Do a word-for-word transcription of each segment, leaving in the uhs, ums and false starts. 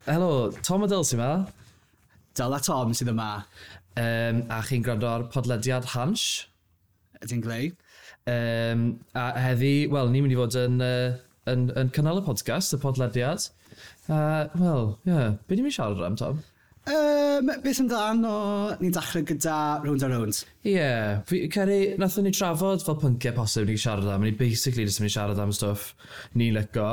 Helo, Tom a Dyl sy'n yma. Dyl a Tom sydd yma. Um, a chi'n gwrando ar podlediad Hansh. Ydy'n glei. Um, a heddi, wel, ni'n mynd i fod yn, uh, yn, yn cynnal y podcast, y podlediad. Uh, wel, ie, yeah. Be ni'n mynd i siarad am, Tom? Um, beth amdan o ni'n dechrau gyda Rownd a Rownd? Ie, yeah, fi credu, nathon ni trafod fel pynciau posib ni'n siarad am, ni basically jyst yn mynd i siarad am stwff ni'n lico.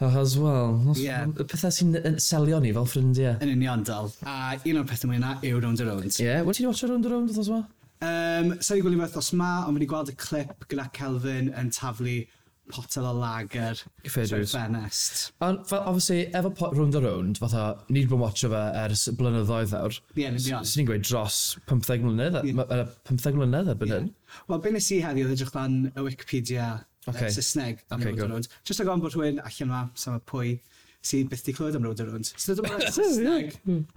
Achos, wel, Ie. yeah. Y pethau sy'n yn selio ni fel ffrindiau. Yn union, Dyl. A un o'r pethau mwy yna yw Rownd a Rownd. Ie, yeah, wel, ti wedi watcho Rownd a Rownd wythnos yma? Um, Sa'n i gwylio fe wythnos ma, ond fi wedi gweld y clip gyda Kelvin yn taflu potel o lager Fair trwy'r dues. ffenest. Ond, fel, obviously, efo po- Rownd a Rownd, fatha, ni wedi bod yn watcho fe ers blynyddoedd nawr. Ie, yn union. Swn i'n gweud dros pymtheg mlynedd, Ie. yeah. pymtheg mlynedd erbyn hyn. Wel, be nes i heddiw oedd edrych lan y Wikipedia Ocê. okay. Saesneg am Ocê, Rownd a good. Rownd. Just o gofyn bod rhywun allan yma, sama pwy sydd byth di clywed am Rownd a Rownd. So dyma Saesneg.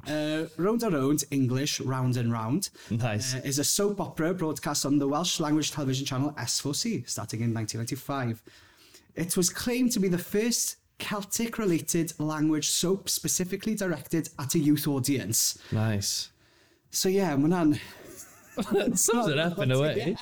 Uh, Rownd a Rownd, English, Round and Round. Nice. Uh, is a soap opera broadcast on the Welsh language television channel S four C, starting in nineteen ninety-five. It was claimed to be the first Celtic-related language soap specifically directed at a youth audience. Nice. So yeah, mae hwnna'n Sums it up in a way.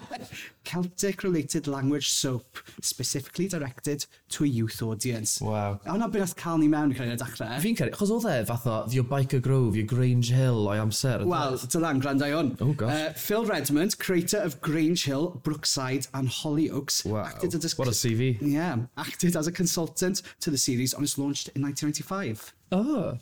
Celtic-related language soap specifically directed to a youth audience. Wow. A hwnna beth nath cael ni mewn i cael ei dechrau. Fi'n credu, achos oedd e fath o The Byker Grove, your Grange Hill o'i amser. Wel, dylan, gwrando i hwn. Oh, gosh. Uh, Phil Redmond, creator of Grange Hill, Brookside and Hollyoaks, Wow. acted as a, What a C V. Yeah, acted as a consultant to the series on its launch in nineteen ninety-five. Oh.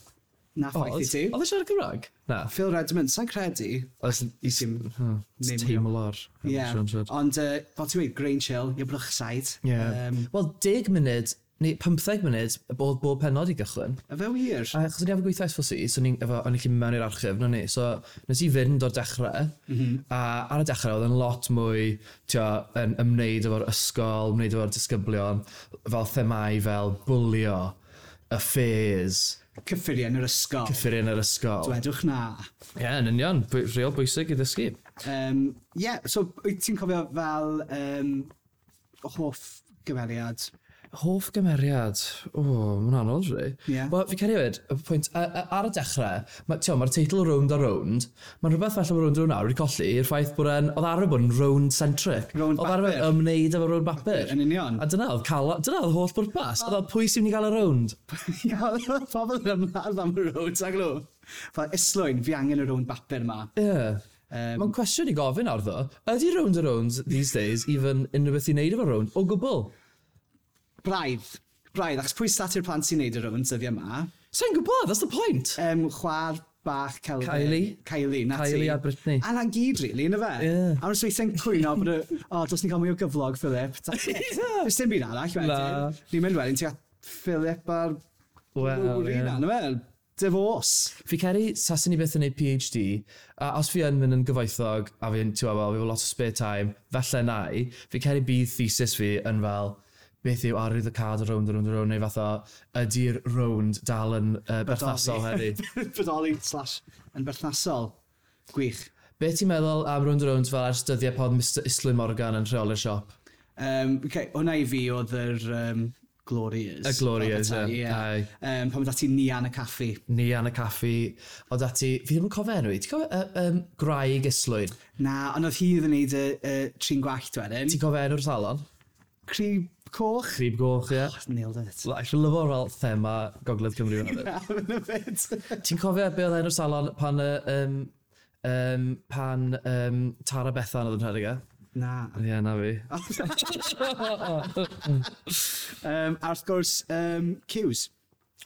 Na ffaith i ti. Oedd e siarad Cymraeg? Na. Phil Redmond, sa'n credu. Oedd I dim name. Teimlo'r. Yeah, ond uh, fel ti'n dweud, Grange Hill, your Brookside. Yeah. Um, Wel, deg munud, neu pymtheg munud, bod bob penod i gychwyn. A fe wir? A achos o'n i efo gweithio S four C, so o'n i'n efo, o'n i'n gallu mynd mewn i'r archif, no ni. So nes i fynd o'r dechrau, mm -hmm. a ar y dechrau oedd yn lot mwy, tio, yn ymwneud efo'r ysgol, ymwneud efo'r disgyblion, fel themau fel bwlio, affairs, Cyffuriau yn yr ysgol. Cyffuriau yn yr ysgol. Dwedwch na. Ie, yeah, yn union, bwy- real bwysig i ddysgu. Um, yeah, so wyt ti'n cofio fel um, hoff gymeriad? Hoff gymeriad? O, oh, mae'n anodd, rei. Ie. Wel, fi credu hefyd, y pwynt, a- a- ar y dechrau, mae'r ma teitl Rownd a Rownd, mae'n rhywbeth falle bod Rownd a Rownd nawr wedi colli i'r ffaith bod e'n, oedd arfer bod yn round-centric. Rownd Oedd arfer bapur. ymwneud efo rownd bapur. Yn union. A dyna oedd, cael, dyna oedd holl bwrpas. Oedd fel pwy sy'n mynd i gael y rownd? Ie, oedd pobl yn ymladd am y rownd, ag nhw. Fel Islwyn, fi angen y rownd bapur yma. Ie. Yeah. Um, Mae'n cwestiwn i gofyn nawr ddo. Ydy Rownd a Rounds these days even unrhyw beth i wneud efo rownd? O gwbl? Braidd. Braidd, achos pwy stat i'r plant sy'n neud y rownd dyddiau yma? Sa'n gwybod, that's the point. Um, chwaer bach Kelvin. Kylie. Kylie, na ti. Kylie a Britney. A na'n gyd, really, yna fe? Ie. A mae'n weithiau'n cwyno bod y, "O, oh, dos ni'n cael mwy o gyflog, Philip." That's it. Does dim byd arall wedyn. Na. Ni'n mynd wedyn, ti'n cael Philip a'r Wel, Rory ie. na, yna fe? Divorce. Fi credu, saswn i byth yn neud P H D, a os fi yn mynd yn gyfoethog, a fi'n, ti'n gwbod, fel, fi efo lot o spare time, falle na i, fi credu bydd thesis fi yn fel, beth yw arwyddocâd o Rownd a Rownd a Rownd, neu fath o, ydy'r rownd dal yn uh, berthnasol heddi? Bodoli slash yn berthnasol. Gwych. Be ti'n meddwl am Rownd a Rownd fel ers dyddiau pod Mister Islwyn Morgan yn rheoli'r siop? Um, okay, hwnna i fi oedd yr um, glory years. Y glory years, Fel petai, ie. ie. Aye. Um, pan oedd ati Nia yn y caffi. Nia yn y caffi, oedd ati, fi ddim yn cofio enw i, ti'n cofio uh, um, Graig Islwyn? Na, ond oedd hi oedd yn neud y, y trin gwallt wedyn. Ti'n cofio enw'r salon? Crib Coch. Crib Goch, ie. Oh, nailed it. Well, I lyfo fel thema Gogledd Cymru fyna. Na, bit. Ti'n cofio be oedd enw'r salon pan, yy, um, um, pan um, Tara Bethan oedd yn rhedeg e? Na. Ie, yeah, na fi. Um, a wrth gwrs, um, Cews.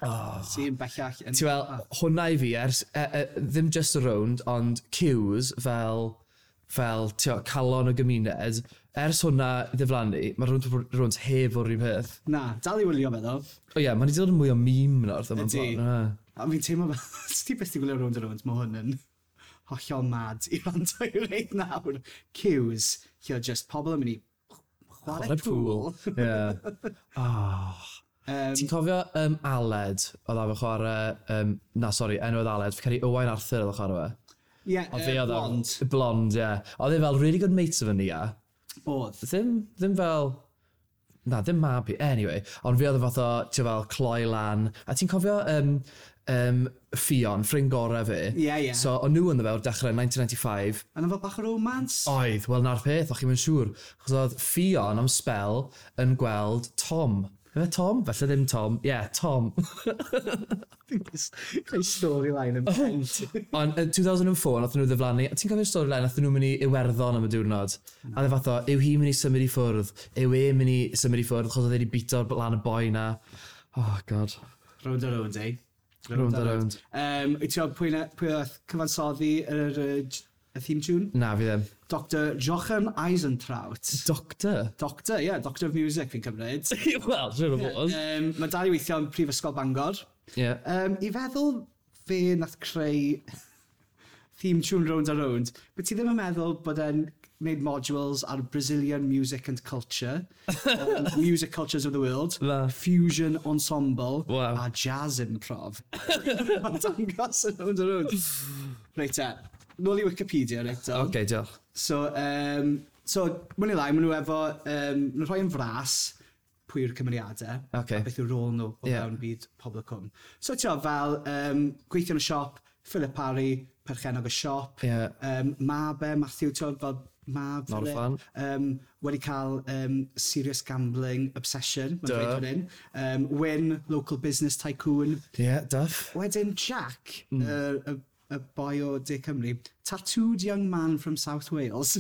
Oh. Sy'n bellach yn Ti'n fel, hwnna i fi, ers, e, e, ddim just y rownd, ond Cews fel, fel, ti'n calon y gymuned, ers hwnna ddiflannu, mae Rownd Rownd heb o'r un peth. Na, dal i wylio fe ddo. O ie, yeah, mae'n wedi dod yn mwy o meme nawr, ddim yn Ydi. ffordd. A fi'n teimlo fel, os ti byth 'di gwylio Rownd a Rownd, mae hwn yn hollol mad i rando i reit nawr. Cews, lle oedd just pobl yn mynd i chwarae Chwarae pŵl. pŵl. Ie. Oh. Um, Ti'n cofio um, Aled, oedd efo chwarae. Um, na, sori, enw oedd Aled, fi credu Owain Arthur oedd o chwarae fe. Ie, Oedd fe uh, oedd o- blond. Blond, ie. Oedd e fel really good mates efo Nia. Oedd. Ddim, ddim fel. Na, ddim mab i. Anyway, ond fi oedd e fath o, ti'n fel, cloi lan. A ti'n cofio um, um, Ffion, ffrind gorau fi. Ie, ie. So, o'n nhw yn fe o'r dechrau naw deg pump. A na fel bach o romance? Oedd, wel na'r peth, o'ch chi'n mynd siŵr. Chos oedd Ffion am spel yn gweld Tom. Efe Tom? Falle ddim Tom. Ie, yeah, Tom. Creu storyline yn pen. Ond yn dwy fil a pedwar, nath nhw ddiflannu. Ti'n cofio'r storyline, nath nhw'n mynd i Iwerddon am y diwrnod? A dde fath o, yw hi'n mynd i symud i ffwrdd? Yw e'n mynd i symud i ffwrdd? Chos oedd e wedi bito'r lan y boi na. Oh, God. Rownd a rownd, eh? Rownd a rownd. Um, wyt ti'n gwybod pwy, na- pwy oedd cyfansoddi yr, y, y theme tune? Na, fi ddim. Doctor Jochen Eisentraut. Doctor? Doctor, ie, yeah, Doctor of Music fi'n cymryd. Wel, siwr o fod. Um, mae dal i weithio yn Prifysgol Bangor. Ie. Um, I feddwl fe nath creu theme tune Rownd a Rownd, but ti ddim yn meddwl bod e'n gwneud modules ar Brazilian music and culture, um, music cultures of the world, Na. fusion ensemble, Wow. a jazz improv. Mae'n dangos yn Rownd a Rownd. Reit te, nôl i Wikipedia, reit te. Oce, diolch. So, um, so mwyn i lai, maen nhw efo, um, maen nhw'n rhoi yn fras pwy yw'r cymeriadau, Ocê. a beth yw'r rôl nhw o Ie. fewn byd Pobl y Cwm. So, ti'n fel, um, gweithio yn y siop, Philip Parry, perchennog y siop, Ie. um, mab e, Matthew, ti'n fel mab Not a Philip, fan. um, wedi cael um, serious gambling obsession, mae'n Duh. dweud fan hyn. Um, Wyn, local business tycoon. Ie, yeah, duff. Wedyn Jack, mm. y, y, y boi o De Cymru, tattooed young man from South Wales.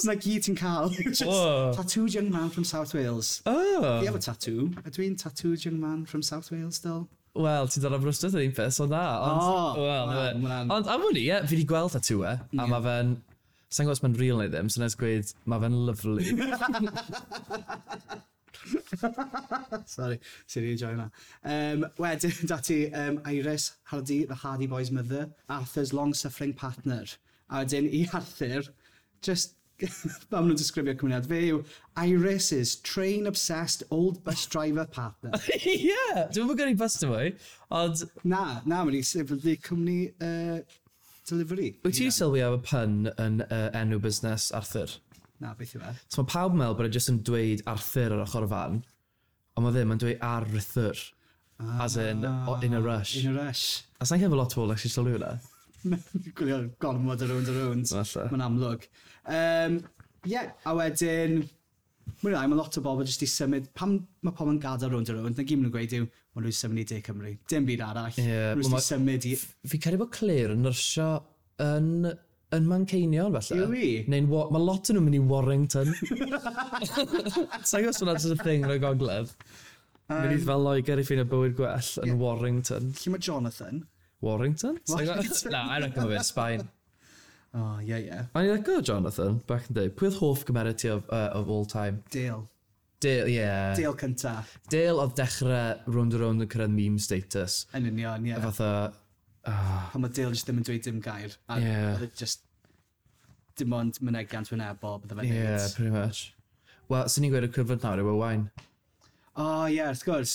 Na gyd ti'n cael. Just Whoa. tattooed young man from South Wales. Oh. Fi efo tattoo. Ydw i'n tattooed young man from South Wales still? Wel, ti'n dod am Aberystwyth yr un peth, so na. Ond, Oh, wel, wel, na fe. ma' hwnna'n- Ond am hwnni, ie, fi wedi gweld tattoo e, a mae fe'n... Sa'n gwybod os mae'n real neu ddim, so nes gweud, mae fe'n lovely. Sorry, sy'n enjoy hwnna. Um, wedyn, dati um, Iris Hardy, the Hardy Boys' mother, Arthur's long-suffering partner. A wedyn, i Arthur, just, fel maen nhw'n disgrifio cymeriad, fe yw Iris's train-obsessed old bus driver partner. Ie! Dwi'n mynd gyrru bus dy fwy, ond Na, na, mae'n i sefydlu cwmni uh, delivery. Wyt ti'n sylwi am y pun yn uh, enw busnes Arthur? Na, beth yw e? So mae pawb yn meddwl bod e jyst yn dweud Arthur ar ochr y fan, ond mae ddim yn dweud Arthur. As in, o, in a rush. In a rush. A sa'n cael lot o bobl actually sylwi hwnna. Gwylio gormod o Rownd a Rownd. Falle. Mae'n amlwg. Um, yeah, a wedyn, mwyn lai, mae lot o bobl jyst i symud, pam mae pobl yn gadael Rownd a Rownd, na gyd maen nhw'n gweud yw, maen nhw'n symud i De Cymru. Dim byd arall. Ie, Maen nhw wel, jyst i symud i. Fi credu bod Claire yn nyrsio yn, yn Manceinion, falle. Yw hi? Neu'n, Wa- mae lot o'n nhw'n mynd i Warrington. Sa'n gwybod os hwnna'n just a thing yn y gogledd. Um, mynd i fel Loegr i ffeindio bywyd gwell yn Warrington. Lle mae Jonathan? Warrington? Sa'n gwbod? Warrington. Na, I reckon mae fe'n Sbaen. Oh, ie, ie. O'n i'n licio Jonathan, back in the day. Pwy oedd hoff gymeriad ti of, uh, of all time? Dale. Dale, yeah. Dale cynta. Dale oedd dechrau Rownd a Rownd yn cyrraedd meme status. Yn union, ie. Fatha, oh, Pan mae Dale jyst ddim yn dweud dim gair. A Ie. oedd e just dim ond mynegiant wynebol bydde fe'n yeah, neud. pretty much. Wel, sy'n ni'n gweud y cyfnod nawr yw Owain. O, ie, wrth gwrs.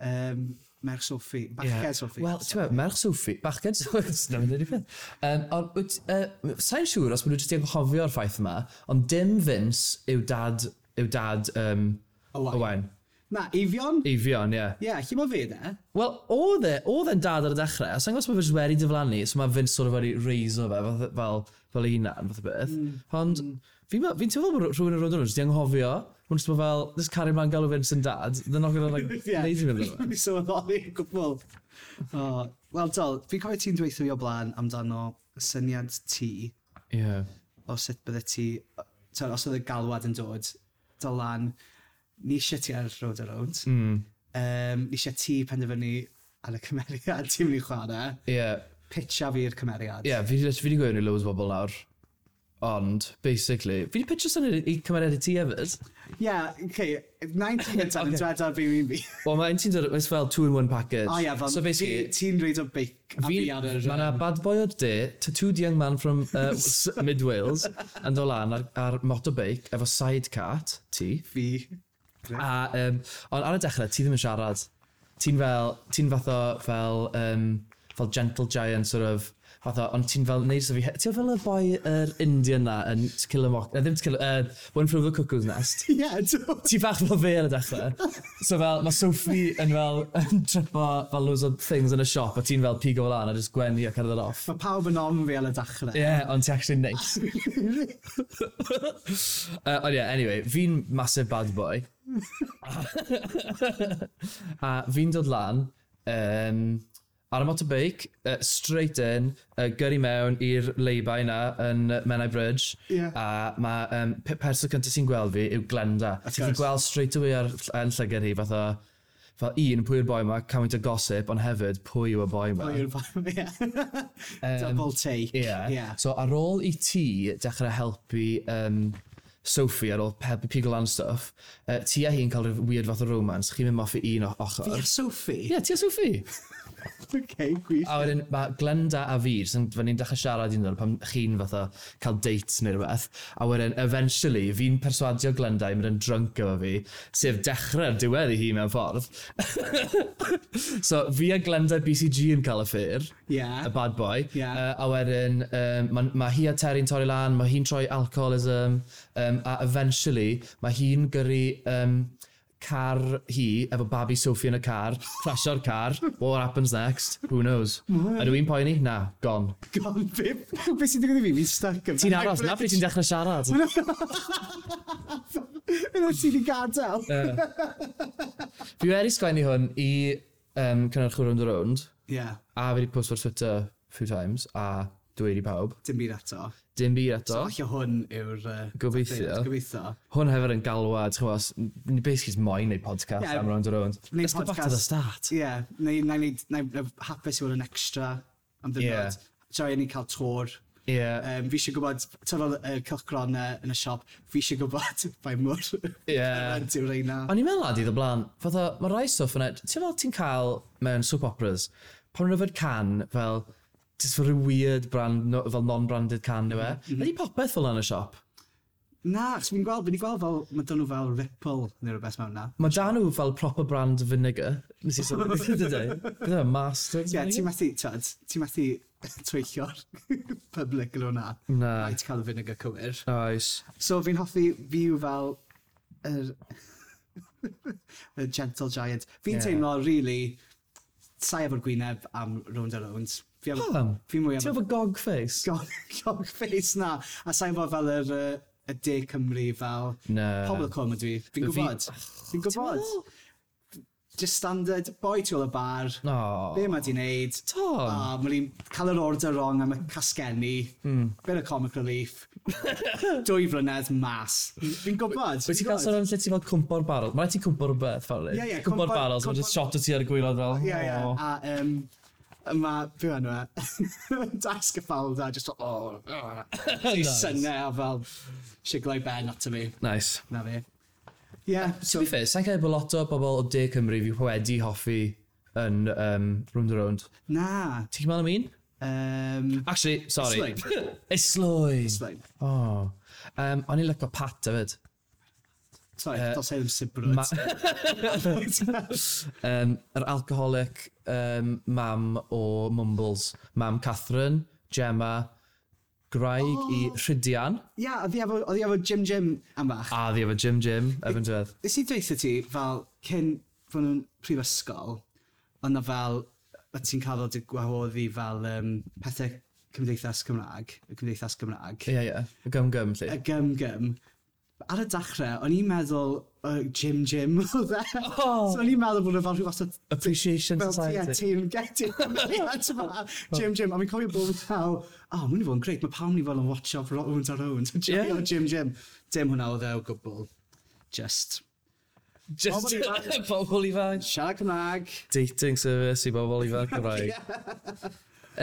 Um, Merch Sophie. Bachgen Ie. Sophie. Wel, ti'n meddwl, merch Sophie, bachgen Sophie, na mynd i'r peth. Um, ond, wyt, uh, sa'n siŵr os maen nhw jyst i anghofio'r ffaith yma, ond dim Vince yw dad, yw dad um, Owain. Owain. Na, Eifion? Eifion, ie. Yeah. Ie, yeah, lle mae fe de? Wel, oedd e, oedd e'n dad ar y dechrau, a sa'n gwybod os mae fe jyst wedi diflannu, so mae Vince sort of wedi raise-o fe, fel, fel, fel ei hunan, fath o beth. Mm. Ond, fi'n mm. fi teimlo bod rhywun yn rownd nhw, jyst i anghofio, maen nhw jyst bod fel, just cario mlaen galw Vince yn dad, they're not gonna, like, Ie. neud i fynd. Fi sylweddoli o gwbl. Oh, Wel, dol, fi'n cofio ti'n dweud fi o blaen amdano syniad ti Ie. o sut bydde ti, t'od, os oedd y galwad yn dod, Dylan, ni eisiau ti ar Rownd a Rownd. Mm. Um, ni eisiau ti penderfynu ar y cymeriad ti'n mynd i chwarae. Ie. Pitcha fi'r cymeriad. Ie, fi 'di fi 'di gweud i loads o bobl nawr. Ond, basically, fi 'di pitcho syniad i cymeriad i ti hefyd. Ie, yeah, okay, nineteen gyntaf yn dweud ar fi fi'n fi. Wel, mae un ti'n dod, it's fel two in one package. O ie, fel, So basically, fi- ti'n reid o beic a fi ar yr. Mae yna bad boy o'r de, tattooed young man from uh, Mid Wales, yn dod lan ar, ar motorbike efo sidecart, ti. Fi. A, um, ond ar y dechrau, ti ddim yn siarad. Ti'n fel, ti'n fath o fel, um, fel gentle giant sort of, Fatha, ond ti'n fel, neud so fi, ti'n fel y boi yr Indian na yn To Kill a Mock, uh, ddim To Kill, uh, One Flew Over the Cuckoo's Nest. Ie, do. Ti bach fel fe ar y dechrau. So fel, mae Sophie yn fel, yn tripo fel loads o things yn y siop, a ti'n fel pigo fel lan a just gwenu a cerdded off. Mae pawb yn ofn fi ar y dechrau. Ie, yeah, ond ti actually nice. uh, ond yeah, anyway, fi'n massive bad boy. A fi'n dod lan, um, ar y motorbike, uh, straight in, uh, gyrru mewn i'r lay-by na yn uh, Menai Bridge. Ie. A mae um, person cyntaf sy'n gweld fi yw Glenda. A ti'n course. gweld straight away ar yn llygad hi, fatha, fel un, pwy yw'r boi ma, cymaint o gossip, ond hefyd, pwy yw y boi ma. Pwy yw'r boi ie. Double take. Ie. Ie. So ar ôl i ti dechrau helpu um, Sophie, ar ôl helpu pigo lan stuff, uh, ti a hi'n cael rhyw weird fath o romance, chi'n mynd off i un o ochr. Fi a Sophie? Ie, yeah, ti a Sophie. Okay, gwych. A wedyn mae Glenda a fi, jyst yn, fan ni'n dechrau siarad un pan chi'n fatha cael dates neu rhywbeth. A wedyn, eventually, fi'n perswadio Glenda i mynd yn drunk efo fi, sef dechrau'r diwedd i hi mewn ffordd. So, fi a Glenda B C G yn cael affair. Ie. Y bad boy. Ie. Uh, a wedyn, um, mae ma hi a Terry'n torri lan, mae hi'n troi alcoholism, um, a eventually, mae hi'n gyrru um, car hi, efo babi Sophie yn y car, crashio'r car. What happens next? Who knows? Ydw i'n poeni? Na, gone. Gone, be, be sy'n digwydd i fi? Fi'n stuck yn Ti'n aros, na pryd ti'n dechrau siarad. Yna ti wedi gadael. Fi wedi sgwennu hwn i um, cynhyrchwyr Rownd a Rownd, Ie, a fi wedi post ar Twitter few times, a dweud i pawb. Dim byd eto. Dim byd eto. So, falle hwn yw'r... Uh, Gobeithio. Gobeithio. Hwn hefyd yn galwad, ti'n gwybod, ni basically moyn neud podcast Ie, am Rownd a Rownd. Neud Let's go back to the start. Ie, yeah, neu na i neud, na i hapus i fod yn extra am ddiwrnod. Ie. Joio ni cael tour. Ie. Um, fi eisiau gwybod, ti'n fel y cylchgronau yn y siop, fi eisiau gwybod faint mor Ie. current yw'r reina. O'n i'n meddwl lad i ddod blaen, fatha, mae rai stwff yna, ti'n fel ti'n cael mewn soap operas, pan nhw'n yfed can, fel, just fel rhyw weird brand, no, fel non-branded can yw e. Mm -hmm. Ydy popeth fel yna yn y siop? Na, achos fi'n gweld, fi'n gweld fel, mae dyn nhw fel Ripple neu rhywbeth mewn na. Mae da nhw fel proper brand vinegar. Nes i sôn, dydy? Beth yw e, Masters Ie, vinegar? ti'n methu, twyd, ti'n methu twyllo'r public yn hwnna. Na. Rhaid cael y vinegar cywir. Oes. So fi'n hoffi fi yw fel yr, y gentle giant. Fi'n Ie. yeah. teimlo, really, sai efo'r gwyneb am Rownd a Rownd. Fi efo, Pam? fi mwy Ti'n efo efo gog face? gog, gog face na. A sai efo fel yr, yy, y De Cymru fel Na. pobl y cwm ydw i. Fi'n Fi- gwybod. Fi'n gwybod. Just standard, boi tu ôl y bar. No. Be mae di wneud? Tom. A mae hi'n cael yr order wrong am y casgenni. Mm. Bit of comic relief. Dwy flynedd mas. Fi'n gwybod. Wyt ti'n cael sôn am lle ti fel cwmpo'r barrel? Mae rhaid ti cwmpo'r rhywbeth, fel Ie, ie, Cwmpo'r cwmpo- barrels, mae'n just shot o ti ar y gwaelod fel. Ie, ie. "Oh." A um, mae, be enw e? Dasg y ffalda, just fel, oh, oh. Nice. Synnau a fel, sigloi ben ato fi. Nice. Na fi. Ie, To so, be fair, sa'n cael bod lot o bobl o De Cymru fi wedi hoffi yn um, Rownd a Rownd. Na. Ti'n meddwl am un? Um, Actually, sorry. Islwyn. Islwyn. Islwyn. Oh. Um, o'n i'n licio Pat hefyd. Sorry, Yy, uh, dos e ddim sibrwd. Ma- um, yr alcoholic um, mam o Mumbles. Mam Catherine, Gemma, Graig oh. i Rhydian. Ie, oedd hi efo, oedd hi efo Jim Jim am bach. A ddi efo Jim Jim, efo'n diwedd. Nes i dweud ti, fel, cyn fod nhw'n prifysgol, ond na fel, o ti'n cael fel dy gwahoddi fel um, pethau Cymdeithas Cymraeg, y Cymdeithas Gymraeg, Ie, ie. Y gym gym, lle. y gym gym. Ar y dechrau, o'n i'n meddwl uh, Jim Jim oedd e. Oh. So o'n i'n meddwl bod e fel rhyw fath o Appreciation fel Society. ie, teyrnged Jim Jim, a fi'n cofio bod fel, oh, mae'n i fod yn greit, mae pawb ni fel yn watcho Rownd a Rownd. Ie. Yeah. Jim Jim. Dim hwnna oedd e o gwbl. Just. Just Pobl ifanc. Pobl ifanc. Siarad Cymraeg. Dating service i bobl ifanc Cymraeg.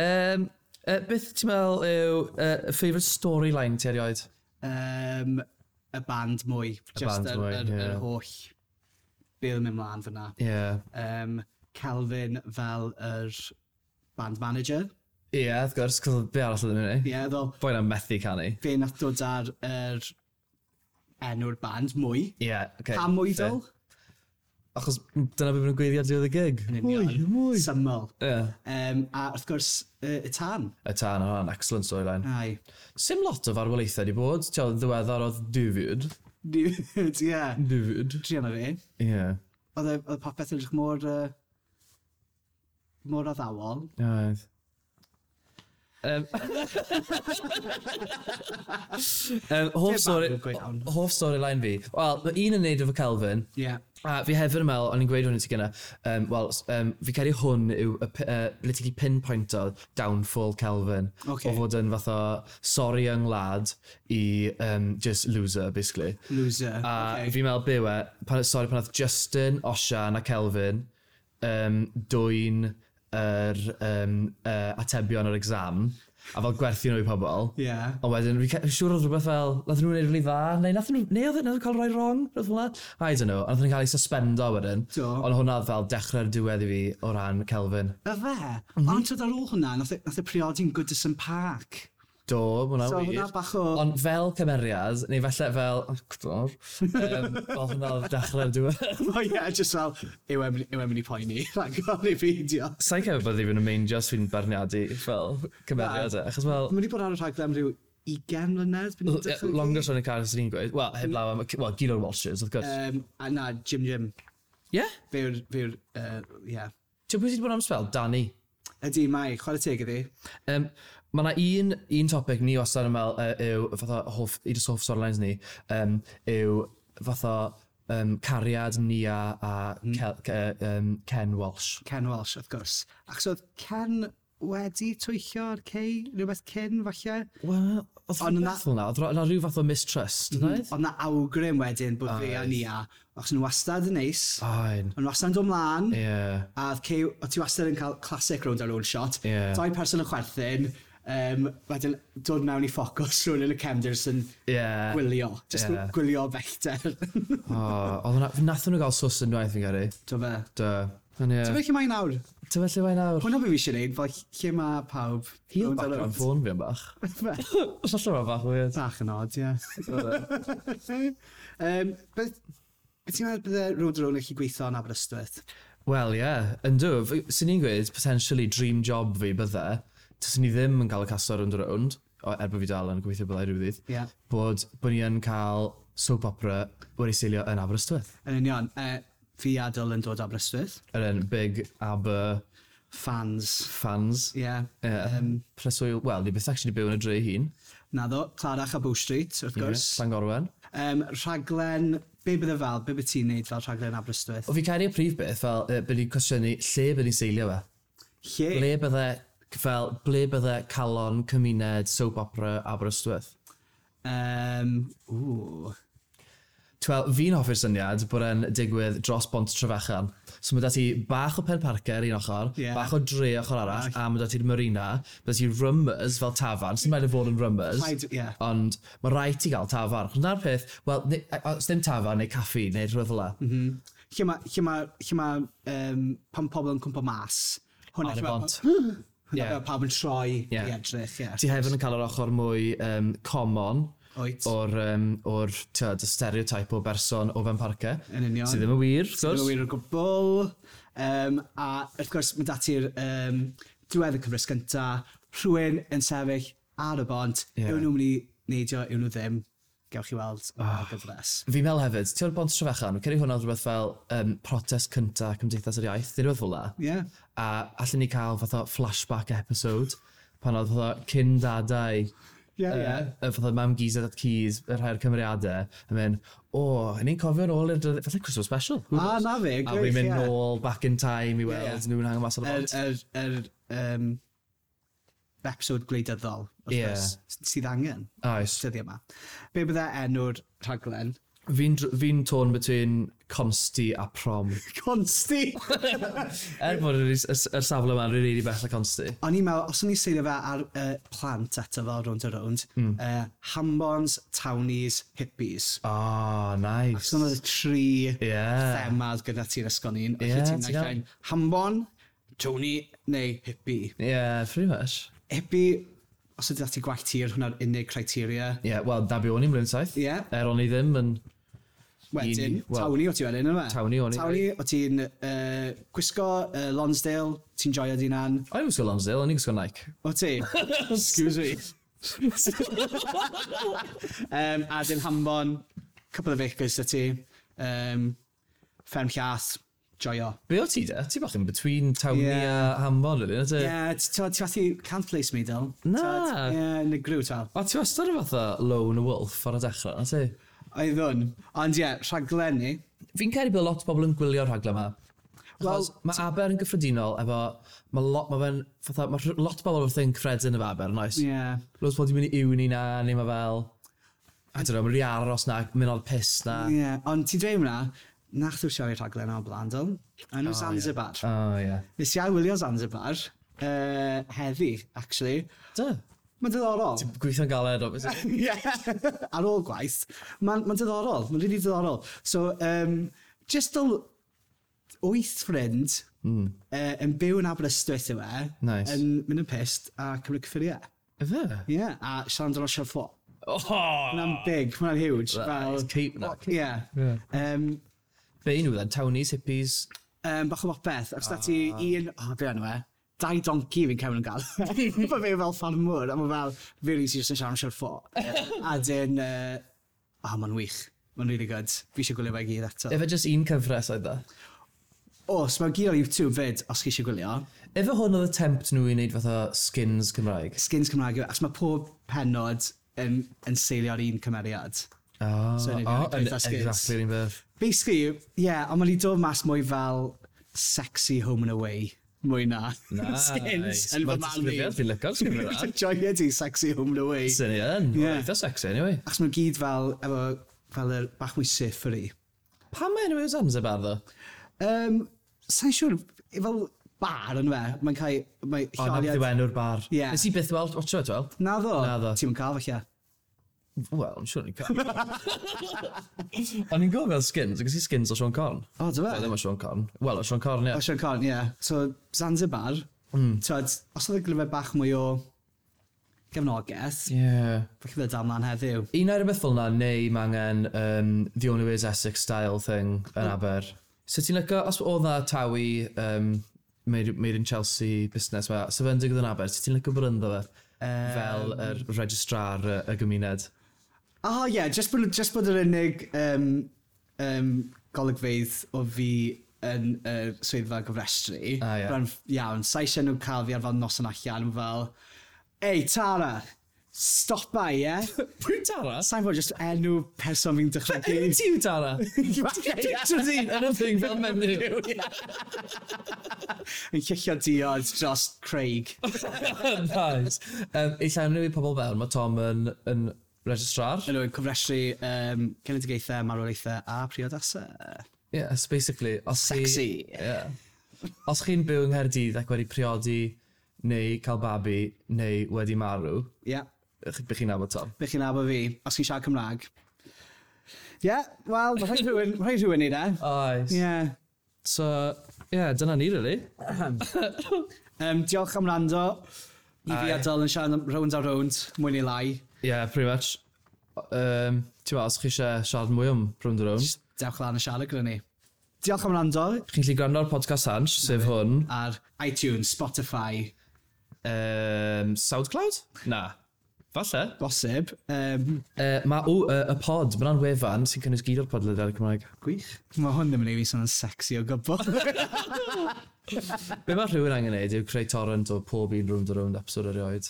um, uh, beth ti'n meddwl yw uh, favourite storyline ti erioed? Um, y band mwy. Just band yr, mwy, yr, ie. yr holl be oedd yn mynd mlaen fyna. Ie. Yeah. Um, Kelvin fel yr band manager. Ie, yeah, wrth gwrs, cos be arall oedd yn mynd Ie, yeah, fel Boi na'n methu canu. fe nath dod ar yr enw'r band mwy. Ie, yeah, okay. Pam mwy ddol? Achos dyna beth maen nhw'n gweiddi ar diwedd y gig. Yn union. Mwy, mwy. Syml. Ie. Um, a wrth gwrs, uh, y tân. Y tân, hwnna'n excellent storyline. Ai. Sim lot o farwolaethau di bod. Ti'n ddiweddar oedd David. Ie. David. Druan o fi. Ie. Oedd e- oedd popeth yn edrych mor... Uh, mor addawol. Oedd. Um, um, hoff, Dim story, barn go iawn. hoff storyline fi. Wel, mae un yn neud efo Kelvin. Ie. Yeah. A fi hefyd yn meddwl, o'n i'n gweud hwn i ti gynna, um, wel, um, fi credu hwn yw, y p- uh, ble ti'n gallu pinpointo downfall Kelvin. Ocê. O fod yn fath o sorry young lad i um, just loser, basically. Loser. A okay. fi'n meddwl be yw e, pan, sorry, pan oedd Justin, Osian a Kelvin um, dwyn yr um, uh, atebion yr exam, a fel gwerthu nhw i pobl. Ie. Ond wedyn, fi'n ca- fi'n siŵr oedd rhywbeth fel, nath nhw'n neud rili dda, neu nath nhw, neu oedd nath nhw cael rhai wrong, rhywbeth fel 'na? I don't know, ond nath nhw'n cael ei suspendo wedyn. Do. Ond hwnna oedd fel dechrau'r diwedd i fi o ran Kelvin. Y fe? Mhm. Mm -hmm. Ond twyd ar ôl hwnna, nath e, nath e priodi'n Goodison Park. Do, ma' hwnna'n So wir. hwnna bach o- Ond fel cymeriad, neu falle fel actor, um, fel hwnna oedd dechrau'r diwedd. O ie, just fel, yw e'n yw e'n mynd i poeni, rhag ofn i beidio. Sa'n cefyd bod ddim yn meindio os fi'n barniadu fel cymeriad e, achos fel... Mae wedi bod ar y rhaglen am ryw ugain mlynedd. byd ni'n dychmygu. Longest running character sy'n ni'n gweud. Wel, heblaw am, wel, gyd o'r Walshes, wrth gwrs. Um, a na, Jim Jim. Ie? Fe yw'r, fe yw'r, uh, ie. Ti'n pwy sydd wedi bod am spel? Danny. Ydy, mae, chwarae teg iddi. Um, mae yna un, un topic ni wastad yn meddwl uh, yw, fatha hoff, un o'r hoff storylines ni, um, yw fatha um, cariad Nia a mm. Kel, uh, um, Ken Walsh. Ken Walsh, wrth gwrs. Achos oedd Ken wedi twyllo ar Kay, rhywbeth cyn, falle? Wel, oedd Ond rhywbeth fel 'na, oedd ro- 'na rhyw fath o mistrust, mm -hmm. Ond na awgrym wedyn bod fe a Nia, achos nhw wastad yn neis, Ain. ond wastad yn dod mlaen, Ie. a oedd Kay, oedd ti wastad yn cael classic Rownd a Rownd shot. Ie. Dau person yn chwerthin, um, wedyn dod mewn i ffocws rhywun yn y cefndir sy'n Ie. gwylio. Just Ie. gwylio bellter. O, oedd hwnna, nathon nhw gael sws yn unwaith fi'n credu. Do fe. Do. Ond ie. Ti'n meddwl lle mae nawr? Ti'n meddwl lle mae nawr? Hwna be fi eisiau gwneud, fel lle mae pawb. Heel Rownd a background rownd. ffôn fi am bach. Fe. Os allan mae'n bach weird. Bach yn odd, ie. um, beth, beth ti'n meddwl bydde Rownd a Rownd yn gallu gweithio yn Aberystwyth? Wel, ie. Yeah. Yndw, sy'n ni'n gweud, potentially dream job fi bydde, taswn ni ddim yn cael y casto Rownd a Rownd, o, er bod fi dal yn gweithio byddai rhyw ddydd, Ie. bod, bod ni yn cael soap opera wedi seilio yn Aberystwyth. Yn union, uh, fi a Dyl yn dod o Aberystwyth. Yr un big Aber Fans. fans. Ie. Yeah. Yeah. Um, Preswyl, wel, ni byth actually byw yn y dre hun. Naddo, Clarach a Bow Street, wrth gwrs. Yeah, Llangorwen. Um, rhaglen, be bydde fel, be bydde ti'n neud fel rhaglen Aberystwyth? O fi credu y prif beth, fel, uh, bydd ni'n cwestiynu lle bydd ni'n seilio fe. Lle? Ble bydde, fel, ble bydde calon cymuned soap opera Aberystwyth? Um, ww. Wel, fi'n hoffi'r syniad bod e'n digwydd dros bont Trefechan. So mae 'da ti bach o Pen Parker un ochr, Ie. bach o dre ochr arall, a mae 'da ti'r marina, mae 'da ti Rummers fel tafarn, sy'n rhaid i fod yn Rummers. Rhaid, ie. Ond mae rhaid ti gael tafarn. Achos 'na'r peth, wel, ne- os ddim tafarn neu caffi neu rhywbeth fel 'na. Mm -hmm. Lle mae, lle mae, lle mae, um, pan pobl yn cwmpo mas. Hwna Ar y lle ma- bont. Hwna Ie. yeah. pawb yn troi Ie. i edrych, ie. Ti hefyd yn cael yr ochr mwy um, common Oet. o'r, um, o'r tyd, y stereotype o berson o Ben Parker. Yn union. Sydd ddim yn wir, wrth Ddim gwrs. yn wir o gwbl. Um, a wrth gwrs, mae dati'r um, diwedd y cyfres gynta, rhywun yn sefyll ar y bont, Ie. yeah. yw nhw'n mynd i neidio, yw nhw ddim. Gewch chi weld oh. y gyfres. Fi'n meddwl hefyd, ti'n o'r bont Trefechan, fi'n credu hwnna oedd rhywbeth fel um, protest cynta Cymdeithas yr Iaith, neu rhywbeth fel 'na. Ie. Yeah. A allan ni cael fath o flashback episode, pan oedd fath o cyn dadau, Ie, ie. y fath o mam Giza at Keys, y rhai o'r cymeriadau, yn mynd, o, oh, ni'n cofio nôl i'r dydd- falle Christmas special. Who Ah, knows? na fe, A gwych, fi'n mynd ie. nôl back in time i weld Ie, ie. nhw'n hango mas ar y Yr, bont. yr, yr, um, episode gwleidyddol, wrth Ie. gwrs, sydd angen Oes. dyddiau yma. Be bydde enw'r rhaglen? Fi'n dr- fi'n torn between Consti a Prom. Consti! Er bod yr, yr, yr safle yma'n rili really bell a Consti. O'n i'n meddwl, os o'n i'n seilio fe ar uh, plant eto fel Rownd a Rownd, mm. uh, Hambons, Townies, Hippies. Oh, nice. So oedd y tri Ie. themad gyda ti'n ysgol ni'n. Ie, Yeah, ti'n ti'n naill ai'n Hambon, Townie neu Hippie. Yeah, pretty much. Hippie, os ydy ti gwallt hir, hwnna'r unig criteria. Ie, yeah, wel, na be o'n i'n blwyddyn saith. Ie. Er o'n i ddim yn Wedyn, Wel, Tawny o ti wedyn, yna? Tawny o'n i. Tawny, o ti'n uh, gwisgo uh, Lonsdale, ti'n joio dy hunan. O'n i'n gwisgo Lonsdale, o'n i'n gwisgo Nike. O ti? Excuse me. um, a dim hambon, couple of acres 'da ti. Um, fferm llath, joio. Be o ti de? Ti bach in between Tawny Yeah. a Hambon, really, na ti? Yeah, ti ti fathu, can't place me, Dyl. Na. Ie, yn y grw, tal. O, ti wastad yn fatha lone wolf ar y dechrau, na ti? Oeddwn. Ond ie, rhaglen ni. Fi'n credu bod lot o bobl yn gwylio'r rhaglen yma. Wel, Achos mae Aber yn gyffredinol efo... Mae lot, mae fe'n, fatha, mae rh- lot o bobl wrth yn cyffredin efo Aber, yn oes? Ie. Yeah. Loads o bobl wedi mynd i uni na, neu mae fel... I don't know, mae'n rhi aros na, mynd o'r piss na. Ie, yeah. Ond ti'n dweud hwnna, nach dwi'n siarad rhaglen o blaen, Dyl. Enw oh, Zanzibar. O, oh, ie. Nes i wylio Zanzibar uh, heddi, actually. Da. Mae'n diddorol. Gweithio'n galed, obviously. Ie, ar ôl gwaith. Mae'n ma diddorol, mae'n really diddorol. So, um, just ol wyth ffrind mm. uh, yn byw yn Aberystwyth yw e. Nice. Yn mynd yn pissed a cymryd cyffuriau. Ife? Ie, yeah, a siarad amdano Siarad Ffo. Oh! Hwnna'n big, hwnna'n huge. That is keep that. Ie. Yeah. Um, Be un nhw then? Townies, hippies? um, bach o bopeth. Os da ti un... O, oh, be enw e? Dau donkey fi'n cefn yn gael. Mae fe fel ffarmwr, a mae fel, very easy just yn siarad am Siarad Ffo. A dyn, uh, oh, mae'n wych. Mae'n really good. Fi eisiau gwylio fe i gyd eto. Efe just un cyfres oedd e? Os, mae'n gyd ar YouTube fyd, os chi eisiau gwylio. Efe hwn oedd attempt nhw i wneud fatha skins Cymraeg? Skins Cymraeg, yw- achos mae pob penod yn, yn seilio ar un cymeriad. Oh, So, yn oh, union, eitha skins. exactly yr un peth. Basically, yeah, ond mae'n dod mas mwy fel sexy Home and Away, mwy na Nice. skins yn fy Mae'r marn i. disgrifiad, fi'n licio'r disgrifiad. Joio di sexy Home and Away. Sy'n i yn. Yeah. Eitha sexy, anyway. Achos mae'n gyd fel, efo, fel yr bach mwy surfery. Pam mae enw yw Zanzibar, ddo? Um, Sa'n siŵr, fel bar yn fe, mae'n cael, mae O, na beth yw enw'r bar. Ie. Nes i byth weld, watcho, ti'n weld? Naddo? Naddo. Ti'm yn cael falle. Wel, I'm siŵr ni'n cael. O'n i'n gwybod fel skins, ac i skins o Sean Corn. O, dy fe? Wel, ddim o Sean Corn. Wel, o Sean Corn, ie. O, Sean Corn, ie. Yeah. So, Zanzibar, mm. Twyd, os oedd y glyfau bach mwy o gefnogaeth, Ie. Yeah. falle bydd dal mlaen heddiw. Un o'r rhywbeth fel 'na, neu mae angen um, The Only Way is Essex style thing yn Aber. So ti'n licio, os oedd na Tawi um, made, made in Chelsea busnes ma, so fe'n digwydd yn Aber, so ti'n licio bod ynddo fe? Yym. Fel yr registrar y, y gymuned. Oh, ie, yeah, just bod, just bod yr unig um, um, golygfeydd o fi yn y uh, swyddfa gofrestru. Ah, ie. Byddai'n iawn, sa eisiau nhw cael fi ar fel noson allan, fel, Ei, Tara, stopa, ie? Pwy Tara? Sa'n fod just enw person fi'n dychmygu. Ti yw Tara? Picture ti yn y thing fel menyw. Yn llillio diod dros Craig. Nice. Um, I llenwi i pobl fewn, mae Tom yn, yn registrar. Yn nhw'n cofrestru um, genedigaethau, marwolaethau a priodasau. Yes, basically. Os chi- Sexy. Yeah. Os chi'n byw yng Nghaerdydd ac wedi priodi neu cael babi neu wedi marw, Ie. Yeah. ych bych chi'n nabod Tom. Bych chi'n nabod fi, os chi'n siarad Cymraeg. Ie, yeah, wel, mae rhaid rhywun, ma' rhaid rhywun i de. Oes. Ie. Yeah. So, yeah, dyna ni, really. Um, diolch am wrando. I fi Aye. a Dyl yn siarad am Rownd a Rownd, mwy neu lai. Yeah, pretty much. Um, Ti'n meddwl, os chi eisiau siarad mwy am Rownd a Rownd, Dewch lan a siarad gyda ni. Diolch am wrando chi'n gallu gwrando ar podcast Hansh, sef hwn. ar iTunes, Spotify, Um, SoundCloud? Na. Falle. bosib. Um, Uh, mae, o, uh, y pod, mae hwnna'n wefan sy'n cynnwys gyd o'r podlediadau Cymraeg. Gwych. Mae hwn ddim yn ei fi sôn yn sexy o gwbl. Be mae rhywun angen neud yw creu torrent o pob un Rownd a Rownd episode erioed.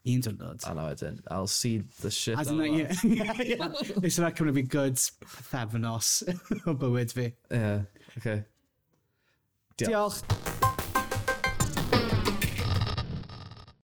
Un diwrnod. A na wedyn, I'll see the shit A out of dyna, that. ie, ie, ie. Nes yna cymryd fi good pythefnos o bywyd fi. Yeah, okay. Diolch. Diolch.